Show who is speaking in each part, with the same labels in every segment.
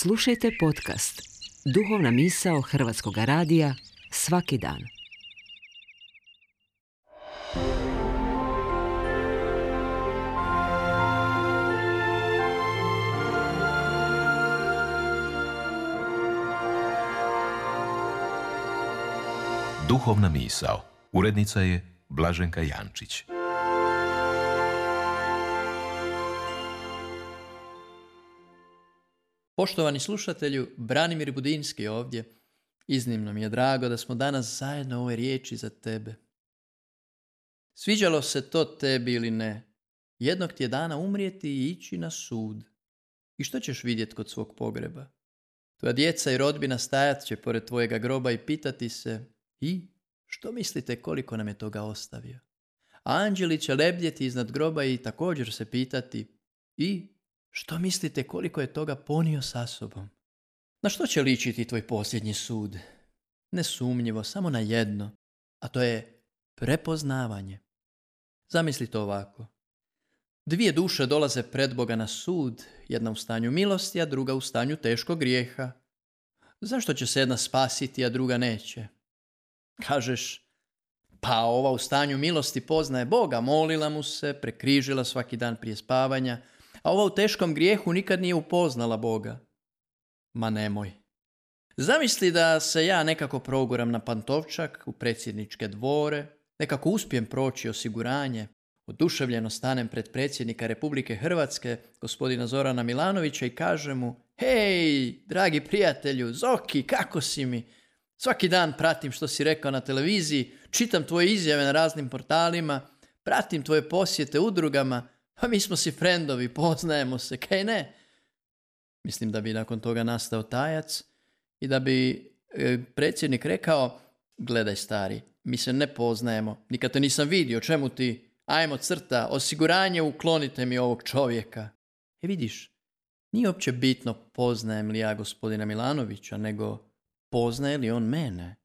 Speaker 1: Slušajte podcast Duhovna misao Hrvatskog radija svaki dan.
Speaker 2: Duhovna misao. Urednica je Blaženka Jančić.
Speaker 3: Poštovani slušatelju, Branimir Budinski ovdje. Iznimno mi je drago da smo danas zajedno u ovoj riječi za tebe. Sviđalo se to tebi ili ne, jednog ti je dana umrijeti i ići na sud. I što ćeš vidjeti kod svog pogreba? Tvoja djeca i rodbina stajat će pored tvojega groba i pitati se: i što mislite koliko nam je toga ostavio? A anđeli će lebdjeti iznad groba i također se pitati: i što mislite koliko je toga ponio sa sobom? Na što će ličiti tvoj posljednji sud? Nesumnjivo, samo na jedno, a to je prepoznavanje. Zamisli to ovako. Dvije duše dolaze pred Boga na sud, jedna u stanju milosti, a druga u stanju teškog grijeha. Zašto će se jedna spasiti, a druga neće? Kažeš, pa ova u stanju milosti poznaje Boga, molila mu se, prekrižila svaki dan prije spavanja, a ova u teškom grijehu nikad nije upoznala Boga. Ma nemoj. Zamisli da se ja nekako proguram na Pantovčak, u predsjedničke dvore, nekako uspijem proći osiguranje, oduševljeno stanem pred predsjednika Republike Hrvatske, gospodina Zorana Milanovića, i kažem mu: hej, dragi prijatelju, Zoki, kako si mi? Svaki dan pratim što si rekao na televiziji, čitam tvoje izjave na raznim portalima, pratim tvoje posjete udrugama, pa mi smo si frendovi, poznajemo se, kaj ne? Mislim da bi nakon toga nastao tajac i da bi predsjednik rekao: gledaj stari, mi se ne poznajemo, nikad te nisam vidio, čemu ti? Ajmo crta, osiguranje, uklonite mi ovog čovjeka. Vidiš, nije uopće bitno poznajem li ja gospodina Milanovića, nego poznaje li on mene?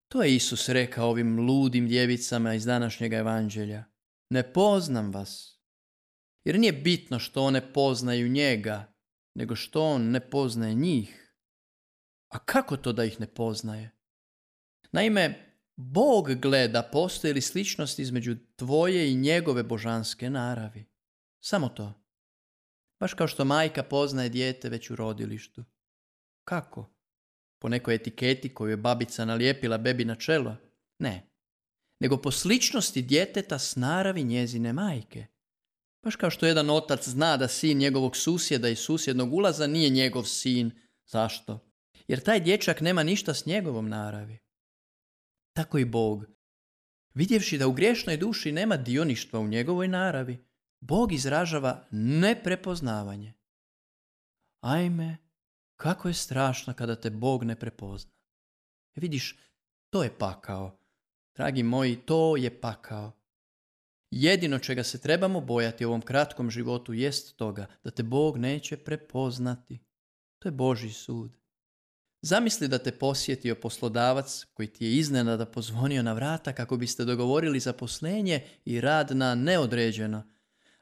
Speaker 3: To je Isus rekao ovim ludim djevicama iz današnjega evanđelja. Ne poznam vas. Jer nije bitno što one poznaju njega, nego što on ne poznaje njih. A kako to da ih ne poznaje? Naime, Bog gleda postoji li sličnost između tvoje i njegove božanske naravi. Samo to. Baš kao što majka poznaje dijete već u rodilištu. Kako? Po nekoj etiketi koju je babica nalijepila bebi na čelo? Ne. Nego po sličnosti djeteta s naravi njezine majke. Baš kao što jedan otac zna da sin njegovog susjeda iz susjednog ulaza nije njegov sin. Zašto? Jer taj dječak nema ništa s njegovom naravi. Tako i Bog. Vidjevši da u griješnoj duši nema dioništva u njegovoj naravi, Bog izražava neprepoznavanje. Ajme, kako je strašno kada te Bog ne prepozna. Vidiš, to je pakao. Dragi moji, to je pakao. Jedino čega se trebamo bojati u ovom kratkom životu jest toga da te Bog neće prepoznati. To je Božji sud. Zamisli da te posjetio poslodavac koji ti je iznenada pozvonio na vrata kako biste dogovorili zaposlenje i rad na neodređeno,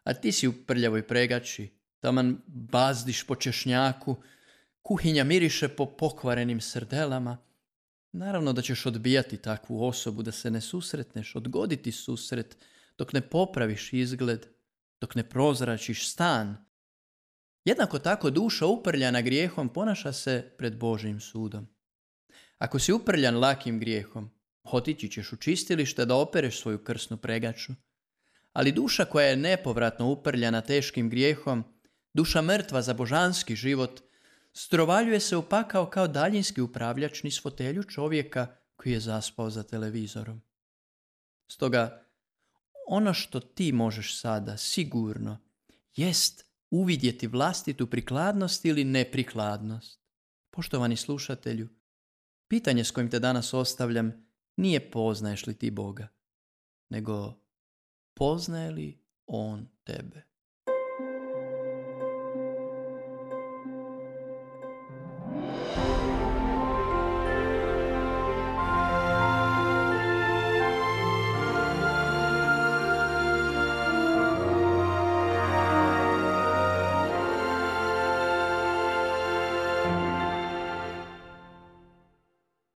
Speaker 3: a ti si u prljavoj pregači, taman bazdiš po češnjaku, kuhinja miriše po pokvarenim srdelama. Naravno da ćeš odbijati takvu osobu, da se ne susretneš, odgoditi susret, dok ne popraviš izgled, dok ne prozračiš stan. Jednako tako duša uprljana grijehom ponaša se pred Božjim sudom. Ako si uprljan lakim grijehom, otići ćeš u čistilište da opereš svoju krsnu pregaču. Ali duša koja je nepovratno uprljana teškim grijehom, duša mrtva za božanski život, strovaljuje se u pakao kao daljinski upravljač niz fotelju čovjeka koji je zaspao za televizorom. Stoga, ono što ti možeš sada sigurno jest uvidjeti vlastitu prikladnost ili neprikladnost. Poštovani slušatelju, pitanje s kojim te danas ostavljam nije poznaješ li ti Boga, nego poznaje li On tebe.